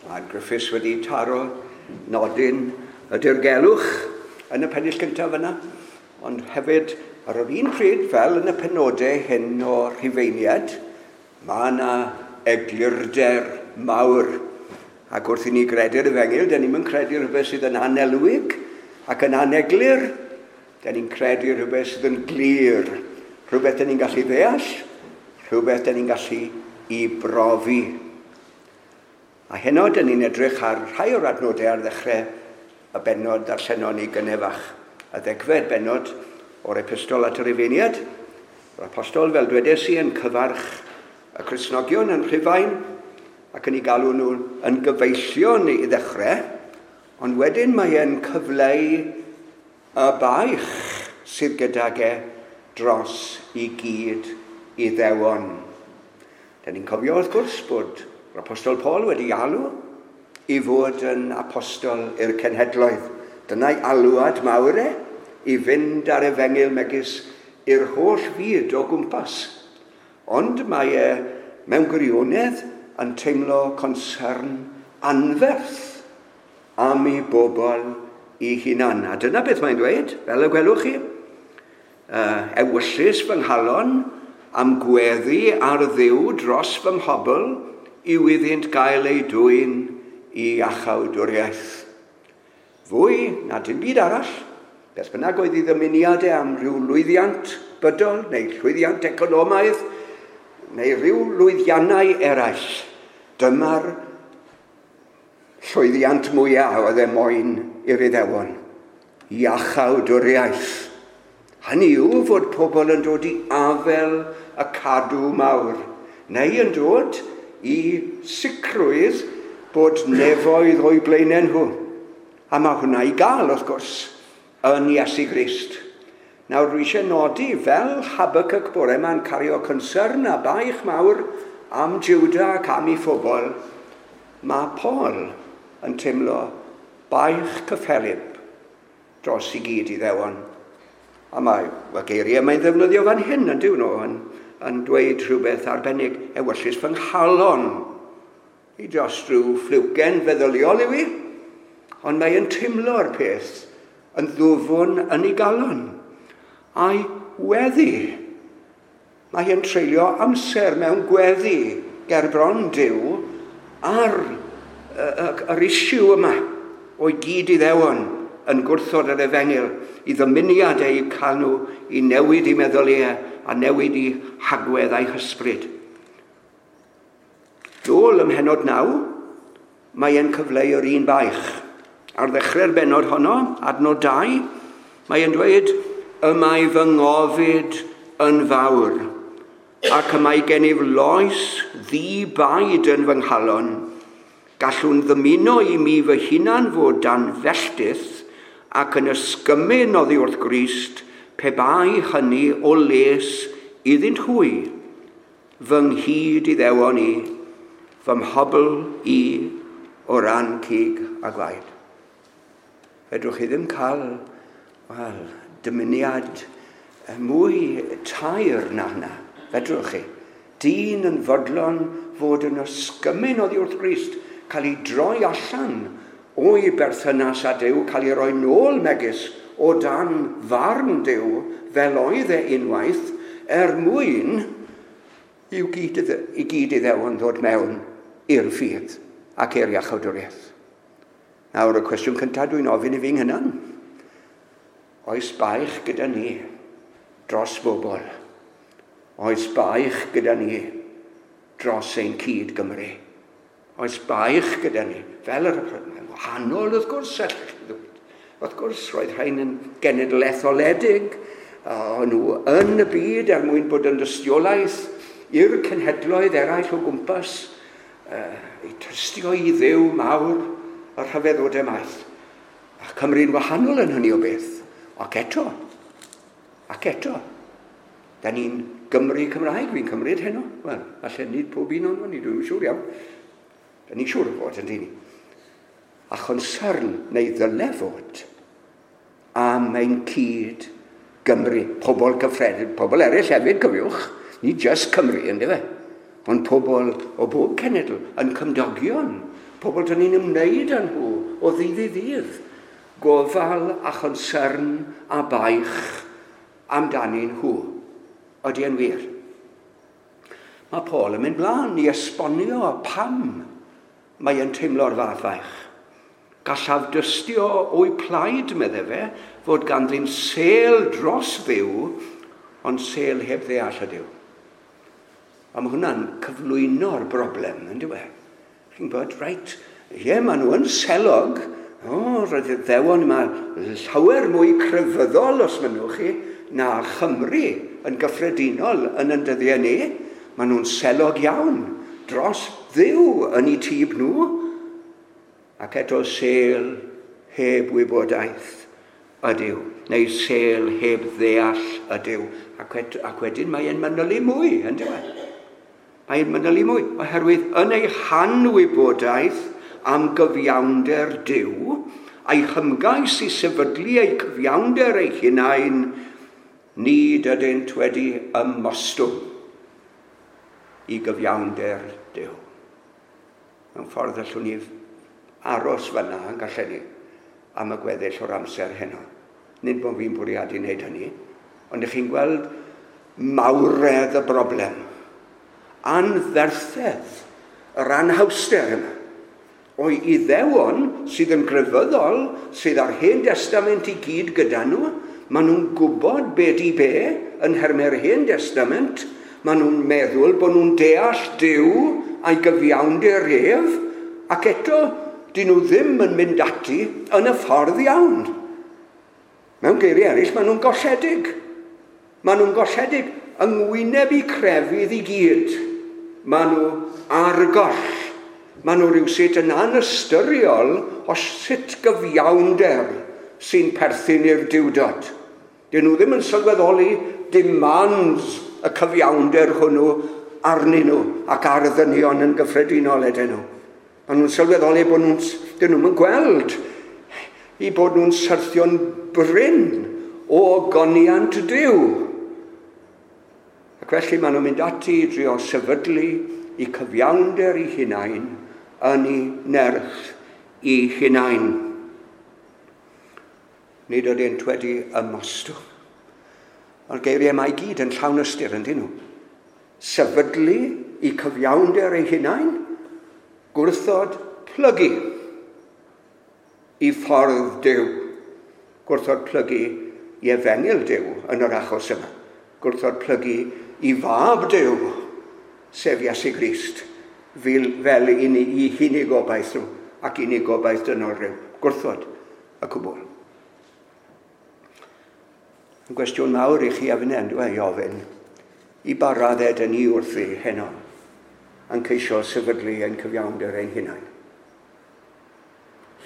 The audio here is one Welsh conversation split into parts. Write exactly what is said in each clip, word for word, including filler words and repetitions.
Mae Griffiths wedi taro nodyn y dirgelwch yn y pennill cyntaf yna, ond hefyd ar yr un pryd, fel yn y penodau hyn o Rhufeiniaid, mae yna eglurder mawr. Ac wrth i ni gredu'r efengyl, dyn ni'n credu rhywbeth sydd yn anelwig ac yn aneglur. Dyn ni'n credu rhywbeth sydd yn glir, rhywbeth dyn ni'n gallu ddeall, rhywbeth dyn ni'n gallu i brofi. A heno, dyn ni'n edrych ar rhai o'r adnodau ar ddechrau y bennod darllenon ni gynnefach. Y ddegfed bennod o'r epistol at yr Rhufeiniaid. Yr apostol, fel dwedes i, yn cyfarch y Cristnogion yn Rhufain ac yn ei galw nhw yn gyfeillion i ddechrau, ond wedyn mae e'n cyfleu y baich sydd gydag e dros i gyd Iddewon. Dyn ni'n cofio, wrth gwrs, bod yr apostol Paul wedi alw i fod yn apostol i'r cenhedloedd. Dyna'i alwad mawr e, i fynd ar efengyl megis i'r holl fyd o gwmpas. Ond mae e mewn gwirionedd yn teimlo concern anferth am ei bobl i hunan. A dyna beth mae'n dweud, fel y gwelwch chi. Uh, ewyllys fy nghalon am gweddi ar Dduw dros fy mhobl yw iddynt gael eu dwyn i iachawdwriaeth. Fwy na dim byd arall, beth bynnag oedd ei ddymuniadau am rhyw lwyddiant bydol neu llwyddiant economaidd neu rhyw lwyddiannau eraill, dyma'r llwyddiant mwyaf oedd e moyn i'r Iddewon, iachawdwriaeth. Hynny yw fod pobl yn dod i afel y cadw mawr, neu yn dod i sicrwydd bod nefoedd o'u blaenau nhw. A mae hwnna i gael, wrth gwrs, yn Iesu Grist. Nawr, dwi eisiau nodi, fel Habakkuk bore yma'n cario concern a baich mawr am Juda ac am ei phobl, mae Paul yn teimlo baich cyffelyb dros i gyd Iddewon. A mae y geiriau mae'n ddefnyddio fan hyn yn dyw nhw, yn, yn dweud rhywbeth arbennig, ewyllys fy nghalon. I dros rhyw ffliwgen feddyliol yw i, ond mae'n teimlo'r peth yn ddwfwn yn ei galon. A'i weddi. Mae e'n treulio amser mewn gweddi ger bron Duw ar yr issue yma o'i gyd Iddewon yn gwrthod yr efengyl, i ddymuniad eu cael nhw i newid i meddyliau a newid i hagwedd a'i hysbryd. Dôl ym mhennod naw, mae e'n cyfleu yr un baich. Ar ddechrau'r bennod honno, adnod dau, mae e'n dweud, y mae fy ngofid yn fawr, ac y mae gennyf loes ddi-baid yn fy nghalon. Gallwn ddymuno i mi fy hunan fod dan felltith ac yn ysgymyn oddi wrth Grist, pe bai hynny o les iddynt hwy, fy nghyd Iddewon i, fy mhobl i o ran cig a gwaed. Fedrwch chi ddim cael, wel, dymuniad mwy taer na hynna. Fedrwch chi. Dyn yn fodlon fod yn ysgymyn oddi wrth Grist, cael ei droi allan o'i berthynas â Duw, cael ei roi nôl megis o dan farn Duw, fel oedd e unwaith, er mwyn i'w gyd, i gyd Iddewon ddod mewn i'r ffydd ac i'r iachawdwriaeth. Nawr, y cwestiwn cyntaf dwi'n ofyn i fi'n hunan. Oes baich gyda ni dros bobl? Oes baich gyda ni dros ein cyd Gymru? Oes baich gyda ni? Fel yr wahanol, wrth gwrs, wrth gwrs, roedd rhain yn genedl etholedig, o'n nhw yn y byd er mwyn bod yn dystiolaeth i'r cenhedloedd eraill o gwmpas, uh, i tystio i Dduw mawr y rhyfeddodau maith. A Cymru'n wahanol yn hynny o beth. Ac eto, ac eto, da ni'n Gymru Cymraeg, fi'n cymryd heno. Wel, falle nid pob un o'n ni, dwi'n siŵr iawn. Da ni'n siŵr o fod yn dyn ni. A chonsern neu ddyle fod am ein cyd Gymru, pobl gyffredin, pobl eraill hefyd, cofiwch, ni just Cymru, ynddo fe? Ond pobl o bob cenedl yn cymdogion, Pobl dyn ni'n ymwneud â nhw o ddydd i ddydd. Gofal a chonsern a baich amdanyn nhw. Ydy e'n wir? Mae Paul yn mynd mlaen i esbonio pam mae e'n teimlo'r fath faich. Gallaf dystio o'i plaid, medde fe, fod ganddyn sêl dros Dduw, ond sêl heb ddeall ydyw. A mae hwnna'n cyflwyno'r broblem, yn dyw e? Chi'n gwybod, reit, ie, maen nhw yn selog. O, roedd y Iddewon yma llawer mwy crefyddol, os mynnwch chi, na Chymru yn gyffredinol yn yn dyddiau ni. Maen nhw'n selog iawn dros Dduw yn eu tyb nhw. Ac eto sêl heb wybodaeth ydyw, neu sêl heb ddeall ydyw. Ac, wed, ac wedyn mae'n manylu mwy, yn dyw e? Mae'n manylu mwy, oherwydd yn ei hanwybodaeth am gyfiawnder Duw, a'i hymgais i sefydlu eu cyfiawnder eu hunain, nid ydynt wedi ymostwng i gyfiawnder Duw. Mewn ffordd allwn ni aros fyna yn gallen ni am y gweddill o'r amser heno. Nid bod fi'n bwriadu wneud hynny, ond ych chi'n gweld mawredd y broblem. Anferthedd, yr anhawster yma. O'i Iddewon sydd yn grefyddol, sydd ar Hen Destament i gyd gyda nhw, maen nhw'n gwybod be di be yn nhermau'r Hen Destament, maen nhw'n meddwl bod nhw'n deall Duw a'i gyfiawnder ef, ac eto dyn nhw ddim yn mynd ati yn y ffordd iawn. Mewn geiriau eraill, maen nhw'n golledig. Maen nhw'n golledig yng ngwyneb eu crefydd i gyd. Maen nhw ar goll. Maen nhw rhywsut yn anystyriol o sut gyfiawnder sy'n perthyn i'r Duwdod. Dyn nhw ddim yn sylweddoli demands y cyfiawnder hwnnw arnyn nhw ac ar ddynion yn gyffredinol ydyn nhw. Maen nhw'n sylweddoli bod nhw'n, dyn nhw'n gweld i bod nhw'n syrthio'n brin o ogoniant Duw. Ac felly maen nhw'n mynd ati i drio sefydlu i cyfiawnder i hunain yn ei nerth i hunain. Nid ydynt wedi ymostwng. Mae'r geiriau yma i gyd yn llawn ystyr, yndyn nhw. Sefydlu i cyfiawnder ei hunain, gwrthod plygu i ffordd Duw. Gwrthod plygu i efengyl Duw yn yr achos yma. Gwrthod plygu i fab Duw, sef Iesu Grist, fel, fel i unig gobaith nhw ac unig gobaith dynol rhyw. Gwrthod y cwbl. Yn gwestiwn mawr i chi a finne, dwi i ofyn, i ba raddau dyn ni wrthi heno yn ceisio sefydlu ein cyfiawnder ein hunain.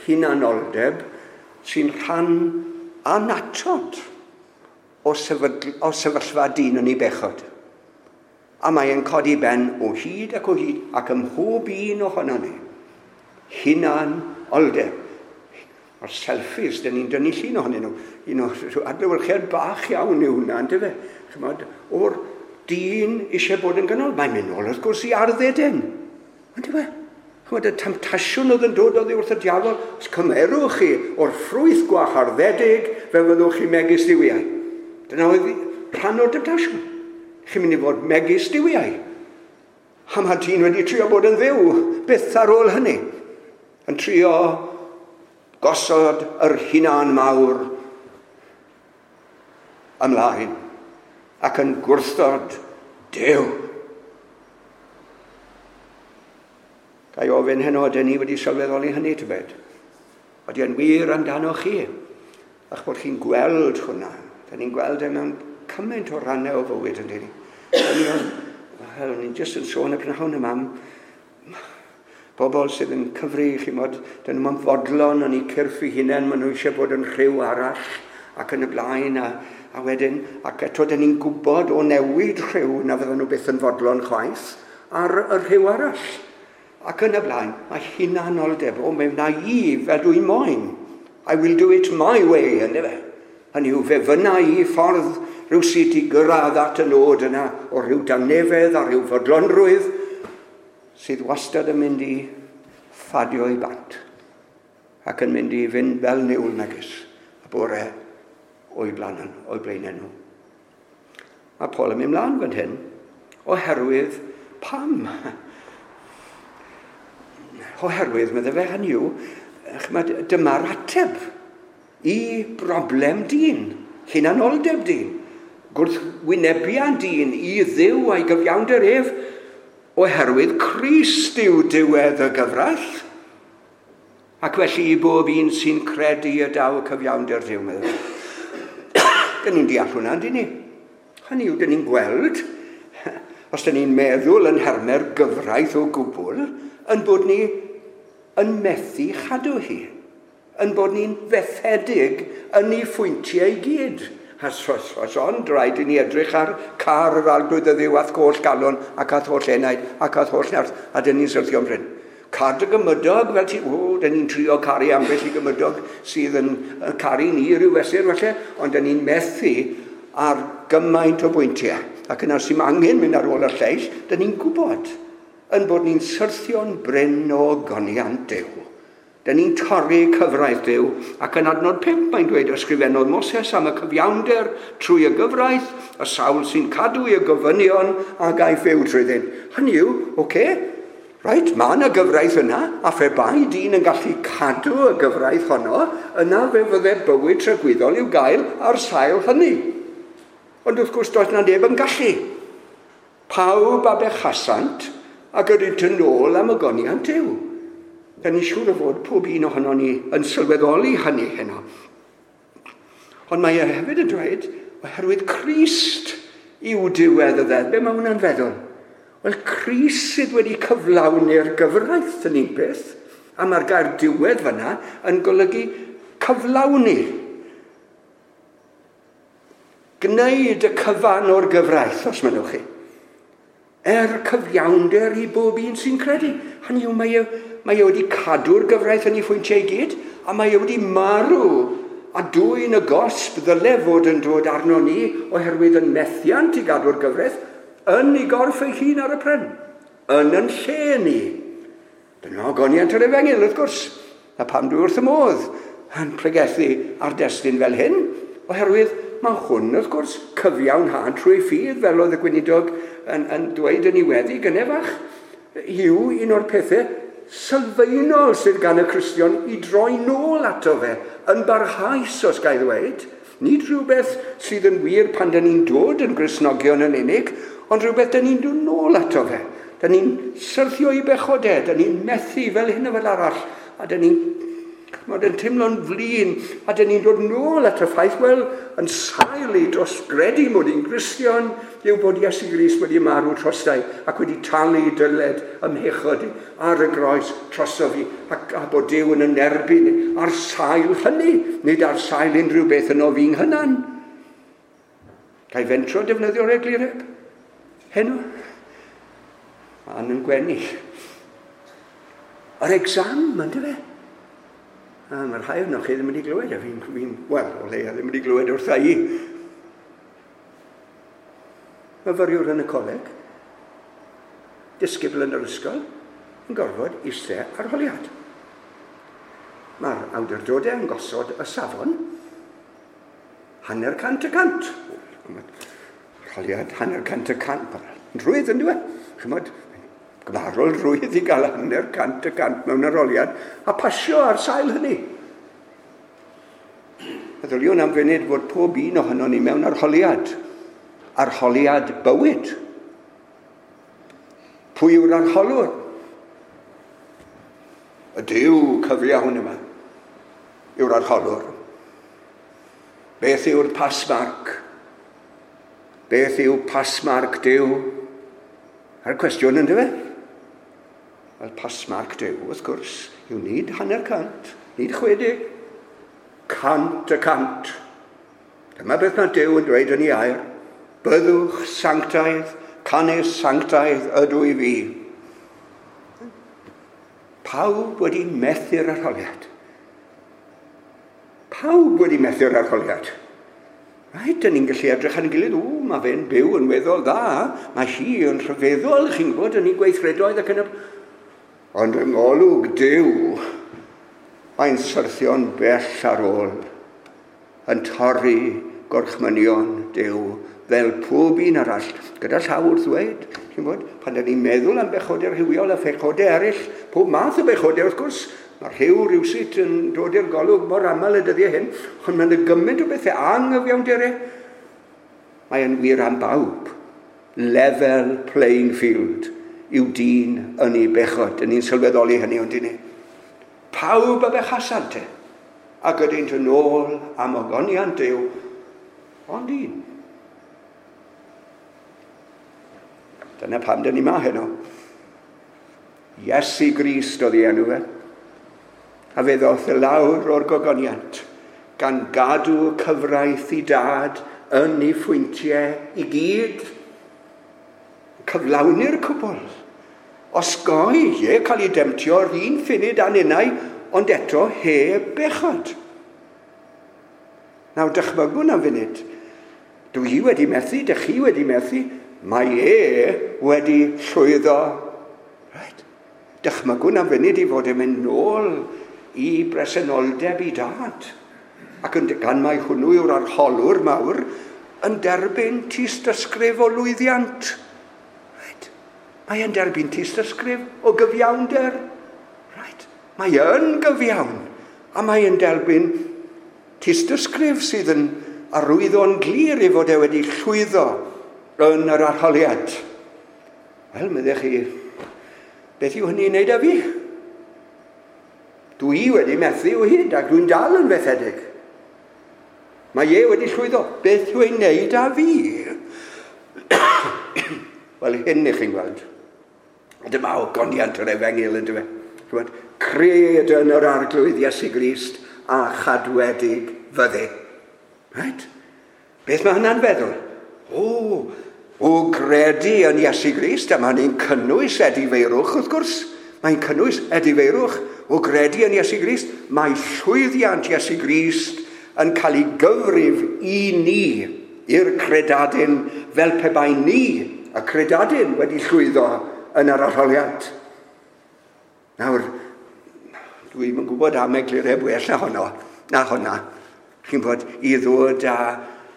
Hunanoldeb sy'n rhan annatod o, sefydl, o sefyllfa dyn yn ei bechod. A mae'n codi ben o hyd ac o hyd ac ym mhob un ohono ni. Hunanoldeb. O'r selfies, dyn ni'n dynnu llun ohonyn nhw. Un o'r adlewyrchiad bach iawn yw hwnna, yndyfe? Chymod, o'r dyn eisiau bod yn ganol. Mae'n mynd nôl wrth gwrs i ardd Eden. Yndyfe? Chymod, y temtasiwn oedd yn dod oddi wrth y diafol, os cymerwch chi o'r ffrwyth gwaharddedig, fe fyddwch chi megis duwiau. Dyna oedd rhan o'r temtasiwn. Chi'n mynd i fod megis duwiau. A mae dyn wedi trio bod yn dduw, byth ar ôl hynny. Yn trio gosod yr hunan mawr ymlaen ac yn gwrthod Duw. Ga i ofyn heno, ydyn ni wedi sylweddoli hynny tybed? Ydy e'n wir amdano chi? A'ch bod chi'n gweld hwnna. Dyn ni'n gweld e mewn cymaint o rannau o fywyd, yndyn ni. Wel, ni'n jyst yn sôn y prynhawn yma am bobl sydd yn cyfri, chi'mod, dyn nhw'n fodlon yn eu cyrff eu hunain, maen nhw eisiau bod yn rhyw arall ac yn y blaen, a, a wedyn, ac eto dyn ni'n gwybod o newid rhyw na fydden nhw byth yn fodlon chwaith ar y rhyw arall. Ac yn y blaen, mae hunanoldeb, o, me wna i fel dwi'n moyn. I will do it my way, yndyfe. Hynny yw, fe fynna i ffordd rhywsut i gyrraedd at y nod yna o rhyw dangnefedd a rhyw fodlonrwydd sydd wastad yn mynd i ffadio i bant ac yn mynd i fynd fel niwl megis y bore o'i blaen, o'i blaenau nhw. Mae Paul yn mynd mlaen fan hyn oherwydd pam? Oherwydd, meddai fe, hynny yw, dyma'r ateb i broblem dyn, hunanoldeb dyn, gwrthwynebiad dyn i Dduw a'i gyfiawnder ef, oherwydd Crist yw diwedd y gyfraith. Ac felly i bob un sy'n credu y daw cyfiawnder Duw, meddai. Dyn ni'n deall hwnna, dyn ni? Hynny yw, dyn ni'n gweld, os dyn ni'n meddwl yn nhermau'r gyfraith o gwbl, yn bod ni yn methu chadw hi, yn bod ni'n fethedig yn ei phwyntiau i gyd. A os, os ond rhaid i ni edrych ar car yr arglwydd y Dduw a'th holl galon ac a'th holl enaid ac a'th holl nerth, a dyn ni'n syrthio'n brin. Car dy gymydog, fel ti, o, dyn ni'n trio caru ambell i gymydog sydd yn caru ni rhyw fesur falle, ond dyn ni'n methu ar gymaint o bwyntiau. Ac yna sy'n angen mynd ar ôl y lleill, dyn ni'n gwybod yn bod ni'n syrthio'n brin o ogoniant Duw. Dyn ni'n torri cyfraith Duw, ac yn adnod pump mae'n dweud ysgrifennodd Moses am y cyfiawnder trwy y gyfraith, y sawl sy'n cadw ei gofynion a gaiff fyw trwyddyn. Hynny yw, oce, okay, right, mae yna gyfraith yna, a phe bai dyn yn gallu cadw y gyfraith honno, yna fe fydde bywyd tragwyddol i'w gael ar sail hynny. Ond wrth gwrs does na neb yn gallu. Pawb a bechasant ac ydynt yn ôl am ogoniant Duw. Da ni'n siŵr o fod pob un ohono ni yn sylweddoli hynny heno. Ond mae e hefyd yn dweud, oherwydd Crist yw diwedd y ddeddf. Be mae hwnna'n feddwl? Wel, Crist sydd wedi cyflawni'r gyfraith yn un peth, a mae'r gair diwedd fyna yn golygu cyflawni. Gwneud y cyfan o'r gyfraith, os mynnwch chi. Er cyfiawnder i bob un sy'n credu. Hynny yw, mae e, mae e wedi cadw'r gyfraith yn ei phwyntiau i gyd, a mae e wedi marw a dwyn y gosb ddyle fod yn dod arno ni oherwydd yn methiant i gadw'r gyfraith yn ei gorff ei hun ar y pren, yn yn lle ni. Dyna ogoniant yr efengyl, wrth gwrs, a pam dwi wrth y modd yn pregethu ar destun fel hyn, oherwydd mae hwn, wrth gwrs, cyfiawnhad trwy ffydd, fel oedd y gweinidog yn, yn dweud yn ei weddi gynne fach, yw un o'r pethau sylfaenol sydd gan y Cristion i droi nôl ato fe, yn barhaus, os ga i ddweud. Nid rhywbeth sydd yn wir pan dyn ni'n dod yn Gristnogion yn unig, ond rhywbeth dyn ni'n dod nôl ato fe. Dyn ni'n syrthio i bechodau, dyn ni'n methu fel hyn a fel arall, a dyn ni'n yn teimlo'n flin, a dyn ni'n dod nôl at y ffaith, wel, yn sail i dros gredu mod i'n Gristion, yw bod Iesu Grist wedi marw trostai ac wedi talu dyled ym mhechod ar y groes drosof fi, ac a bod Duw yn yn erbyn ar sail hynny, nid ar sail unrhyw beth yno fi'n hynan. Ga i fentro defnyddio'r eglureb? Heno? Ma'n yn gwenu. Yr exam, yndyfe? fe? A mae rhai ohonoch chi ddim wedi glywed, a fi'n, fi wel, o leia ddim wedi glywed wrtha i. Myfyriwr yn y coleg, disgybl yn yr ysgol, yn gorfod eistedd arholiad. Mae'r awdurdodau yn gosod y safon hanner cant y cant. Arholiad hanner cant y cant. Yn rhwydd yn dweud. Chymod, gymharol rwydd i gael hanner cant y cant mewn arholiad a pasio ar sail hynny. Meddyliwn am funud fod pob un ohonon ni mewn arholiad. Arholiad bywyd. Pwy yw'r arholwr? Y Duw cyfiawn yma yw'r arholwr. Beth yw'r pasmarc? Beth yw pasmarc Duw? A'r cwestiwn yndyfe? Wel, pasmarc Duw, wrth gwrs, yw nid hanner cant, nid chwedeg, cant y cant. Dyma beth mae Duw yn dweud yn ei air. Byddwch sanctaidd, canys sanctaidd ydw i fi. Pawb wedi methu'r arholiad. Pawb wedi methu'r arholiad. Right, dyn ni'n gallu edrych ar ein gilydd, o, mae fe'n byw yn weddol dda, mae hi yn rhyfeddol, chi'n gwybod, yn ei gweithredoedd ac yn y... Ond yng ngolwg Duw, mae'n syrthio'n bell ar ôl, yn torri gorchmynion Duw fel pob un arall. Gyda llaw wrth ddweud, chi'n bod, pan da ni'n meddwl am bechodau rhywiol a phechodau eraill, pob math o bechodau wrth gwrs, mae rhyw rywsut yn dod i'r golwg mor aml y dyddiau hyn, ond mae'n gymaint o bethau anghyfiawnderau. Mae yn wir am bawb. Level playing field yw dyn yn ei bechod. Yn ni'n sylweddoli hynny, ond ni. Pawb a bechasant e, ac ydynt yn ôl am ogoniant Duw, ond un. Dyna pam dyn ni ma heno. Iesu Grist oedd ei enw fe. A fe ddoth y lawr o'r gogoniant, gan gadw cyfraith i dad yn ei phwyntiau i gyd. Cyflawni'r cwbl. Osgoi, ie, cael ei demtio'r un ffunud a'n unau, ond eto heb bechod. Nawr, dychmygwn am funud. Dwi wedi methu, dych chi wedi methu, mae e wedi llwyddo. Right. Dychmygwn am funud i fod yn mynd nôl i bresenoldeb i dad. Ac yn, gan mai hwnnw yw'r arholwr mawr, yn derbyn tystysgrif o lwyddiant. Right. Mae yn derbyn tystysgrif o gyfiawnder. Right. Mae yn gyfiawn. A mae yn derbyn tystysgrif sydd yn arwyddo'n glir i fod e wedi llwyddo yn yr arholiad. Wel, meddech chi, beth yw hynny'n wneud â fi? Dwi wedi methu o hyd ac dwi'n dal yn fethedig. Mae e wedi llwyddo. Beth yw ei wneud â fi? Wel, hyn i chi'n gweld. Dyma ogoniant yr efengyl yn dweud. Cred yn yr Arglwydd Iesu Grist a chadwedig fyddi. Right? Beth mae hynna'n feddwl? O, o gredu yn Iesu Grist, a mae hynny'n cynnwys edifeirwch, wrth gwrs. Mae'n cynnwys edifeirwch. O gredu yn Iesu Grist, mae llwyddiant Iesu Grist yn cael ei gyfrif i ni, i'r credadun, fel pe bai ni, y credadun, wedi llwyddo yn yr arholiad. Nawr, dwi'm yn gwybod am eglureb well na honno, na honna. Chi'n bod i ddod â,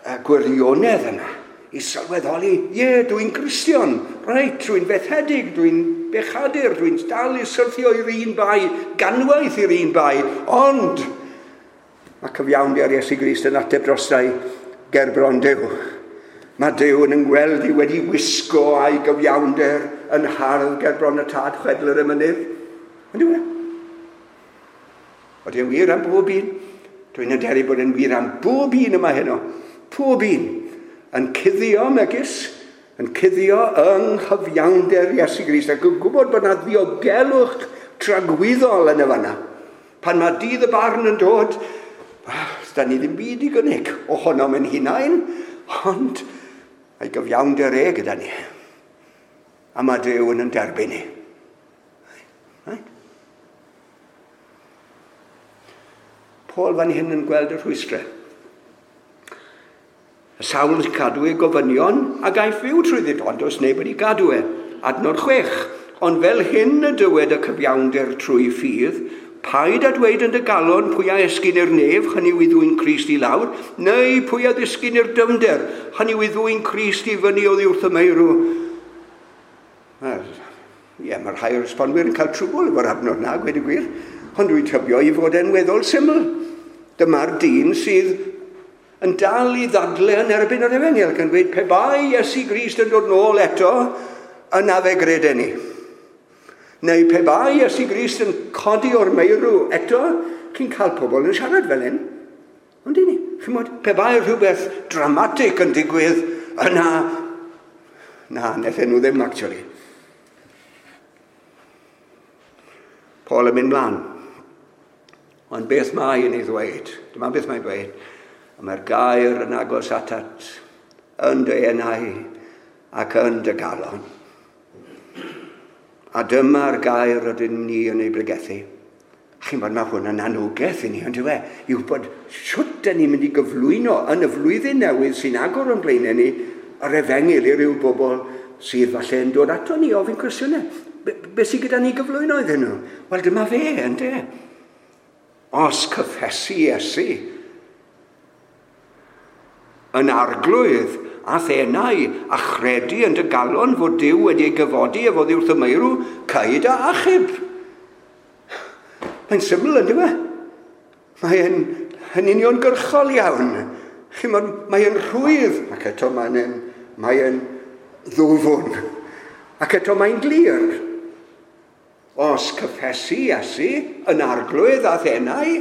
â gwirionedd yma, i sylweddoli, ie, dwi'n Gristion, reit, dwi'n fethedig, dwi'n bechadur, dwi'n dal i syrthio i'r un bai, ganwaith i'r un bai, ond mae cyfiawnder Iesu Grist yn ateb drostai gerbron Duw. Mae Duw yn yngweld i wedi wisgo a'i gyfiawnder yn hardd gerbron y tad chwedl yr emynydd. Ond yw e? Oedden wir am bob un. Dwi'n hyderu bod yn wir am bob un yma heno. Pob un. Yn cuddio megis, yn cuddio yng nghyfiawnder Iesu Grist, ac yn gwybod bod yna ddiogelwch tragwyddol yn y fanna. Pan mae dydd y barn yn dod, well, da ni ddim byd i gynnig ohonom yn hunain, ond mae gyfiawnder e gyda ni. A mae Duw yn yn derbyn ni. Right? Paul fan hyn yn gweld y rhwystrau. Y sawl sy'n cadw ei gofynion a gaiff fyw trwyddi, ond does neb wedi gadw e. Adnod chwech. Ond fel hyn y dywed y cyfiawnder trwy ffydd, paid a dweud yn dy galon pwy a esgyn i'r nef, hynny yw i ddwyn Crist i lawr, neu pwy a ddisgyn i'r dyfnder, hynny yw i ddwyn Crist i fyny oddi wrth y meirw. Wel, ie, mae rhai o'r esbonwyr yn cael trwbl efo'r adnod na, gweud y gwir, ond dwi'n tybio i fod e'n weddol syml. Dyma'r dyn sydd yn dal i ddadle yn erbyn yr efengyl, gan dweud pe bai Iesu Grist yn dod nôl eto, yna fe greden ni. Neu pe bai Iesu Grist yn codi o'r meirw eto, chi'n cael pobl yn siarad fel hyn. Ond i ni, chi'n bod, pe bai rhywbeth dramatic yn digwydd, yna, na, wnaethon nhw ddim actually. Paul yn mynd mlaen. Ond beth mae yn ei ddweud? Dyma beth mae'n dweud. A mae'r gair yn agos atat, yn dy enau ac yn dy galon. A dyma'r gair rydyn ni yn ei bregethu. Chi'n bod, mae hwn yn anogaeth i ni, ond yw e? Yw bod shwt dyn ni'n mynd i gyflwyno yn y flwyddyn newydd sy'n agor o'n blaenau ni yr efengyl i ryw bobl sydd falle yn dod ato ni ofyn cwestiynau. Be, be sydd gyda ni gyflwyno iddyn nhw? Wel, dyma fe, ynde? Os cyffesu Iesu yn arglwydd a thenau a chredu yn dy galon fod Duw wedi ei gyfodi efo oddi wrth y meirw, caed a achub. Mae'n syml, yn dyw e? Mae'n yn uniongyrchol iawn. Chimod, mae'n rhwydd, ac eto mae'n mae'n ddwfwn, ac eto mae'n glir. Os cyffesu Iesu yn arglwydd a thenau,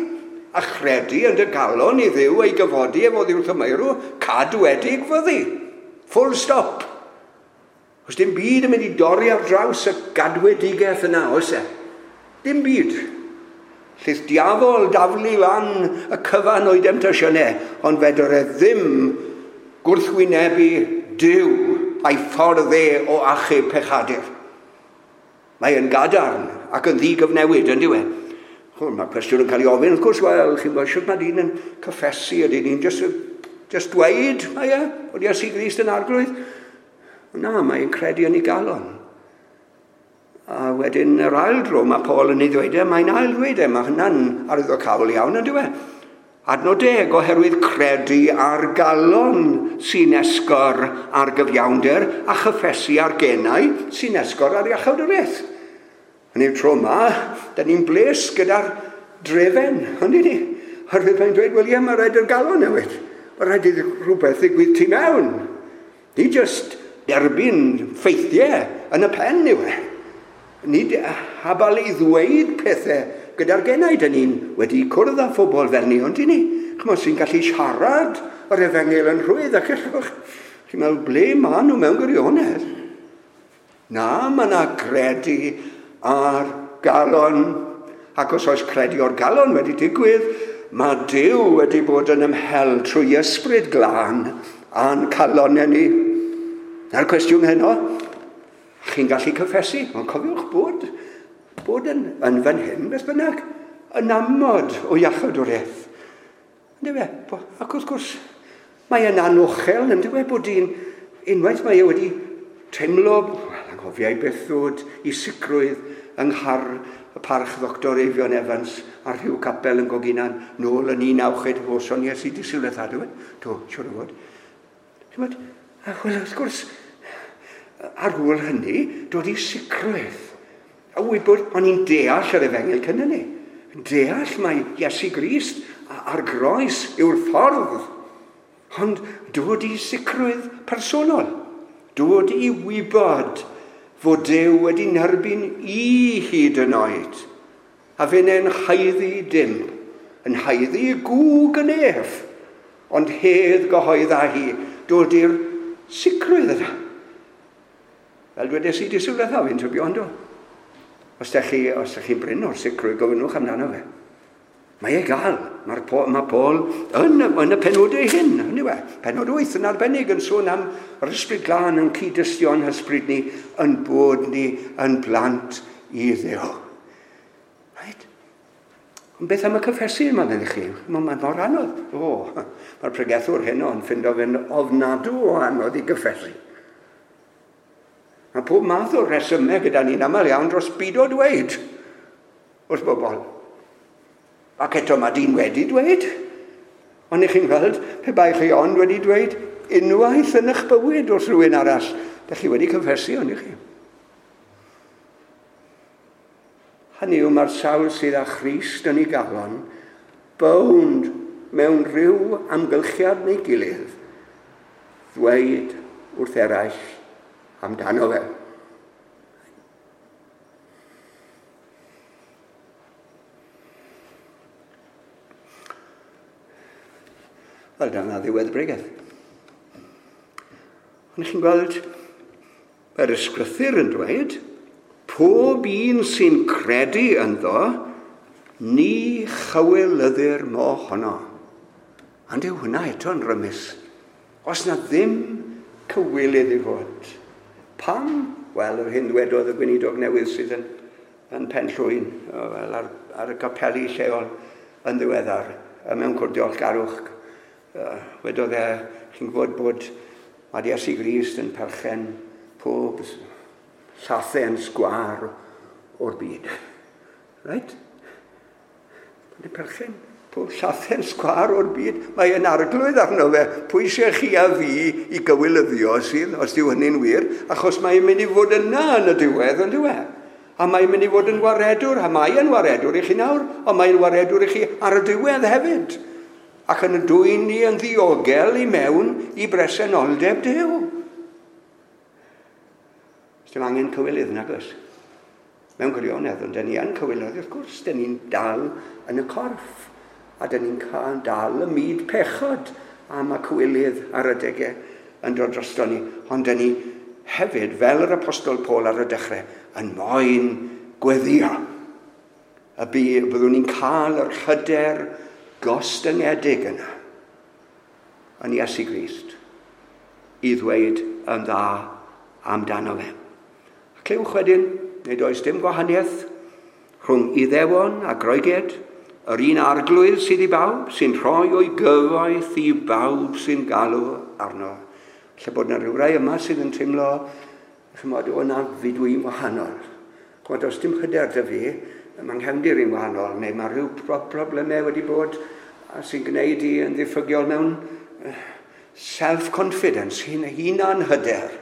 a chredu yn dy galon i Dduw ei gyfodi efo oddi wrth y meirw, cadwedig fyddi. Full stop. Os dim byd yn mynd i dorri ar draws y gadwedigaeth yna, oes e? Dim byd. Lleith diafol daflu lan y cyfan o'i demtasiynau, ond fedr e ddim gwrthwynebu Duw a'i ffordd e o achub pechadur. Mae yn gadarn ac yn ddigyfnewid, yn dyw e? Mae'r cwestiwn yn cael ei ofyn, wrth gwrs, wel, chi'n gwybod, shwt mae dyn yn cyffesu, ydy ni'n just, just dweud, mae e, bod Iesu Grist yn arglwydd? Na, mae'n credu yn ei galon. A wedyn yr ail dro mae Paul yn ei ddweud e, mae'n ail ddweud e, mae hynna'n arwyddocaol iawn, yn dyw e? Adnod deg, oherwydd credu ar galon sy'n esgor ar gyfiawnder a chyffesu ar genau sy'n esgor ar iachawdwriaeth. Yn yw'r tro yma, da ni'n bles gyda'r drefen, ond ni? Oherwydd mae'n dweud, wel ie, mae rhaid i'r galon newid. Mae rhaid i rhywbeth ddigwydd tu mewn. Ni just derbyn ffeithiau yn y pen yw e. Nid habal i ddweud pethau gyda'r genau. Da ni'n wedi cwrdd â phobl fel ni, ond i ni. Chymod, sy'n gallu siarad yr efengyl yn rhwydd ac allwch. Chi'n meddwl, ble maen nhw mewn gwirionedd? Na, mae yna gredu ar galon. Ac os oes credu o'r galon wedi digwydd, mae Duw wedi bod yn ymhel trwy ysbryd glân a'n calonau ni. Na'r cwestiwn heno, chi'n gallu cyffesu, ond cofiwch bod, bod yn, yn fan hyn, beth bynnag, yn amod o iachawdwriaeth. Yndyw e? Ac wrth gwrs, mae yn anochel, yndyw e, bod un, unwaith mae e wedi teimlo, wel, anghofiau beth ddod i sicrwydd yng nghar y parch Ddoctor Eifion Evans ar rhyw capel yn Goginan nôl yn un naw chwech o son Iesu di Sul ddiwetha, do? Do, siwr o fod. Chimod, wel, wrth gwrs, ar ôl hynny, dod i sicrwydd. A wybod, o'n i'n deall yr efengyl cyn hynny. Deall mai Iesu Grist a'r groes yw'r ffordd. Ond dod i sicrwydd personol. Dod i wybod fod Duw wedi nerbyn i hyd yn oed. A fe'n haeddu dim. Yn haeddu gŵg yn ef. Ond hedd gyhoedd â hi. Dod i'r sicrwydd yna. Fel dwedes i di Sul ddiwetha, fi'n tybio, ynddo. Os dych chi, os dych chi'n brin o'r sicrwydd, gofynnwch amdano fe. Mae e gael. Mae'r mae Paul yn, yn y penodau hyn, hynny yw e. Penod wyth yn arbennig yn sôn am yr ysbryd glân yn cyd-dystio'n hysbryd ni, yn bod ni yn blant i Dduw. Right? Ond beth am y cyffesu yma, meddech chi? Mae'n mor anodd. O, mae'r pregethwr heno yn ffindo fe'n ofnadw o anodd i gyffesu. Mae pob math o resymau gyda ni'n aml iawn dros byd o dweud wrth bobl. Ac eto mae dyn wedi dweud. Ond i chi'n gweld, pe bai chi ond wedi dweud unwaith yn eich bywyd wrth rhywun arall, dych chi wedi cyffesu, ond i chi. Hynny yw, mae'r sawl sydd â Christ yn ei galon, bownd mewn rhyw amgylchiad neu gilydd, ddweud wrth eraill amdano fe. Wel, dyna ddiwedd y bregeth. Ond chi'n gweld, mae'r ysgrythur yn dweud, pob un sy'n credu ynddo, ni chywilyddir mohono. Ond yw hwnna eto'n rymus. Os na ddim cywilydd i fod. Pam? Wel, yr hyn ddwedodd y gweinidog newydd sydd yn, yn Penllwyn, wel, ar, ar y capeli lleol yn ddiweddar, mewn cwrdd diolchgarwch. Wedodd e, chi'n gwybod bod mae Iesu Grist yn perchen pob llathen sgwâr o'r byd. Right? Mae'n perchen pob llathen sgwâr o'r byd. Mae e'n arglwydd arno fe. Pwy sy'n chi a fi i gywilyddio sydd, os dyw hynny'n wir, achos mae'n mynd i fod yna yn y diwedd, yn diwedd. A mae'n mynd i fod yn waredwr, a mae e'n waredwr i chi nawr, ond mae'n waredwr i chi ar y diwedd hefyd. Ac yn y dwyn ni yn ddiogel i mewn i bresenoldeb Duw. Dim angen cywilydd, nag oes? Mewn gwirionedd, ond dyn ni yn cywilydd, wrth gwrs, dyn ni'n dal yn y corff. A dyn ni'n cael dal y myd pechod am y cywilydd ar adegau yn dod drosto ni. Ond dyn ni hefyd, fel yr Apostol Paul ar y dechrau, yn moyn gweddio. Y byddwn ni'n cael yr hyder gostyngedig yna yn Iesu Grist i ddweud yn dda amdano fe. A clywch wedyn, nid oes dim gwahaniaeth rhwng Iddewon a Groegiaid, yr un arglwydd sydd i bawb, sy'n rhoi o'i gyfoeth i bawb sy'n galw arno. Lle bod yna rhywrai yma sydd yn teimlo, chymod, o na fi dwi'n wahanol. Chymod, os dim hyder dy fi, mae'n nghefndir i'n wahanol, neu mae rhyw problemau wedi bod sy'n gwneud i yn ddiffygiol mewn self-confidence, hunan hyder.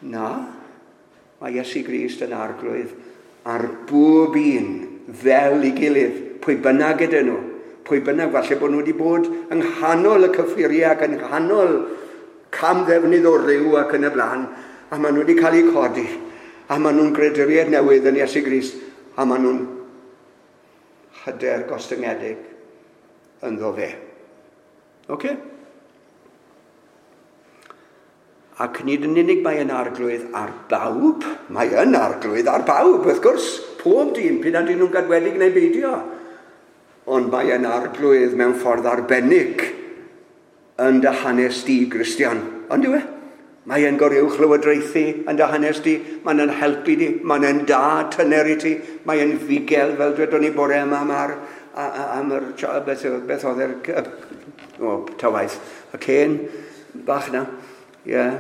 Na, mae Iesu Grist yn arglwydd ar bob un fel ei gilydd, pwy bynnag ydyn nhw, pwy bynnag, falle bod nhw wedi bod yng nghanol y cyffuriau ac yng nghanol camddefnydd o ryw ac yn y blaen, a maen nhw wedi cael eu codi, a maen nhw'n greduriaid newydd yn Iesu Grist, a maen nhw'n hyder gostyngedig ynddo fe. Oce? Ac nid yn unig mae yn arglwydd ar bawb, mae yn arglwydd ar bawb, wrth gwrs, pob dyn, p'un a dyn nhw'n gadwedig neu beidio. Ond mae yn arglwydd mewn ffordd arbennig yn dy hanes di, Gristion. Ond yw e? Mae e'n goruwch lywodraethu yn dy hanes di, mae'n yn helpu di, mae'n yn da tyner i ti, mae e'n fugel, fel dwedon ni bore yma am, ar, am yr, beth, beth oedd yr, o, ta waith, y cên bach na. Ie. Yeah.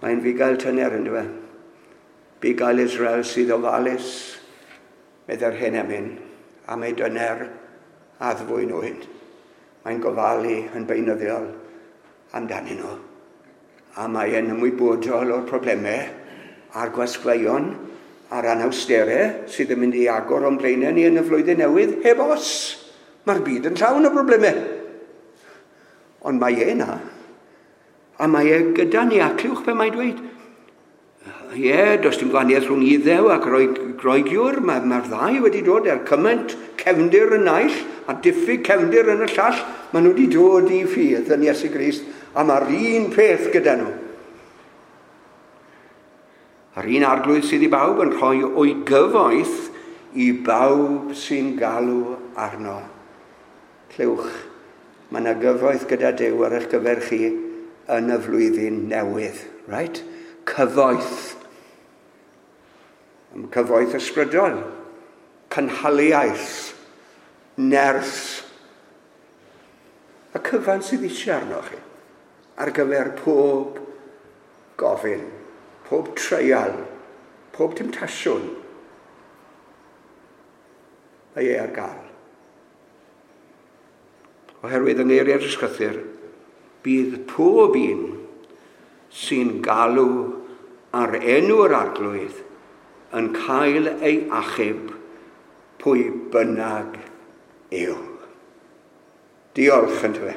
Mae'n fugail tyner yn dweud. Bugail Israel sydd ofalus, meddai'r hen emyn, am ei dyner addfwyn nhw hyn. Mae'n gofalu yn beunyddiol amdanyn nhw. A mae e'n ymwybodol o'r problemau a'r gwasgfeion a'r anawsterau sydd yn mynd i agor o'n blaenau ni yn y flwyddyn newydd heb os. Mae'r byd yn llawn o problemau. Ond mae e na. A mae e gyda ni, a clywch be mae'n dweud. Ie, yeah, does dim gwahaniaeth rhwng Iddew a Groegiwr. Mae'r mae ddau wedi dod er cymaint cefndir yn naill a diffyg cefndir yn y llall. Maen nhw wedi dod i ffydd yn Iesu Grist, a mae'r un peth gyda nhw. A'r un arglwydd sydd i bawb yn rhoi o'i gyfoeth i bawb sy'n galw arno. Clywch, mae yna gyfoeth gyda Duw ar eich gyfer chi yn y flwyddyn newydd. Right? Cyfoeth. Cyfoeth ysbrydol, cynhaliaeth, nerth. Y cyfan sydd eisiau arno chi ar gyfer pob gofyn, pob treial, pob temtasiwn. Mae e ar gael. Oherwydd yng ngeiriau'r Ysgrythur, bydd pob un sy'n galw ar enw'r Arglwydd yn cael ei achub pwy bynnag yw. Diolch yn tyfe.